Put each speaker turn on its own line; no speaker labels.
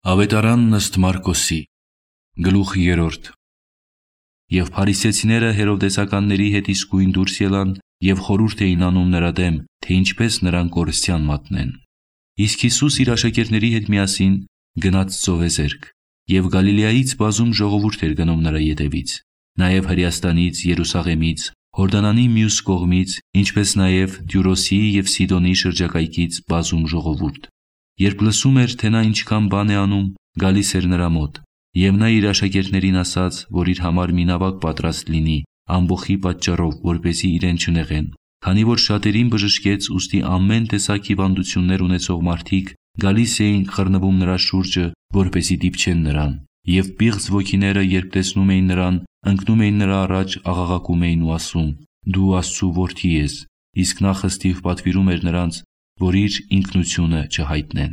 Ավետարանն ըստ Մարկոսի, գլուխ 3. Եվ փարիսեցիները հերովդեսականների հետ իսկույն դուրս ելան և խորհուրդ էին անում նրա դեմ, թե ինչպես նրան կորստյան մատնեն։ Իսկ Հիսուս իր աշակերտների հետ միասին գնաց ծովեզերք, և Գալիլեայից բազում ժողովուրդ էր գնում նրա ետևից, նաև Հրեաստանից, Երուսաղեմից, Հորդանանի մյուս կողմից, ինչպես նաև Տյուրոսի և Սիդոնի շրջակայքից բազում ժողովուրդ։ Երբ լսում էր, թե նա ինչքան բան է անում, գալիս էր նրա մոտ, և նա իր աշակերտներին ասաց, որ իր համար մի նավակ պատրաստ լինի, ամբոխի պատճառով, որպեսզի իրեն չնեղեն, քանի որ շատերին բժշկեց, ուստի ամեն տեսակ հիվանդություններ ունեցող մարդիկ գալիս էին խռնվում նրա շուրջը, որպեսզի դիպչեն նրան, և պիղծ ոգիները, երբ տեսնում էին նրան, ընկնում էին նրա առաջ, աղաղակում էին ու ասում. «Դու Աստծու որդի ես», իսկ նա խստիվ պատվիրում էր նրանց, որ իր ինքնությունը չհայտնեն։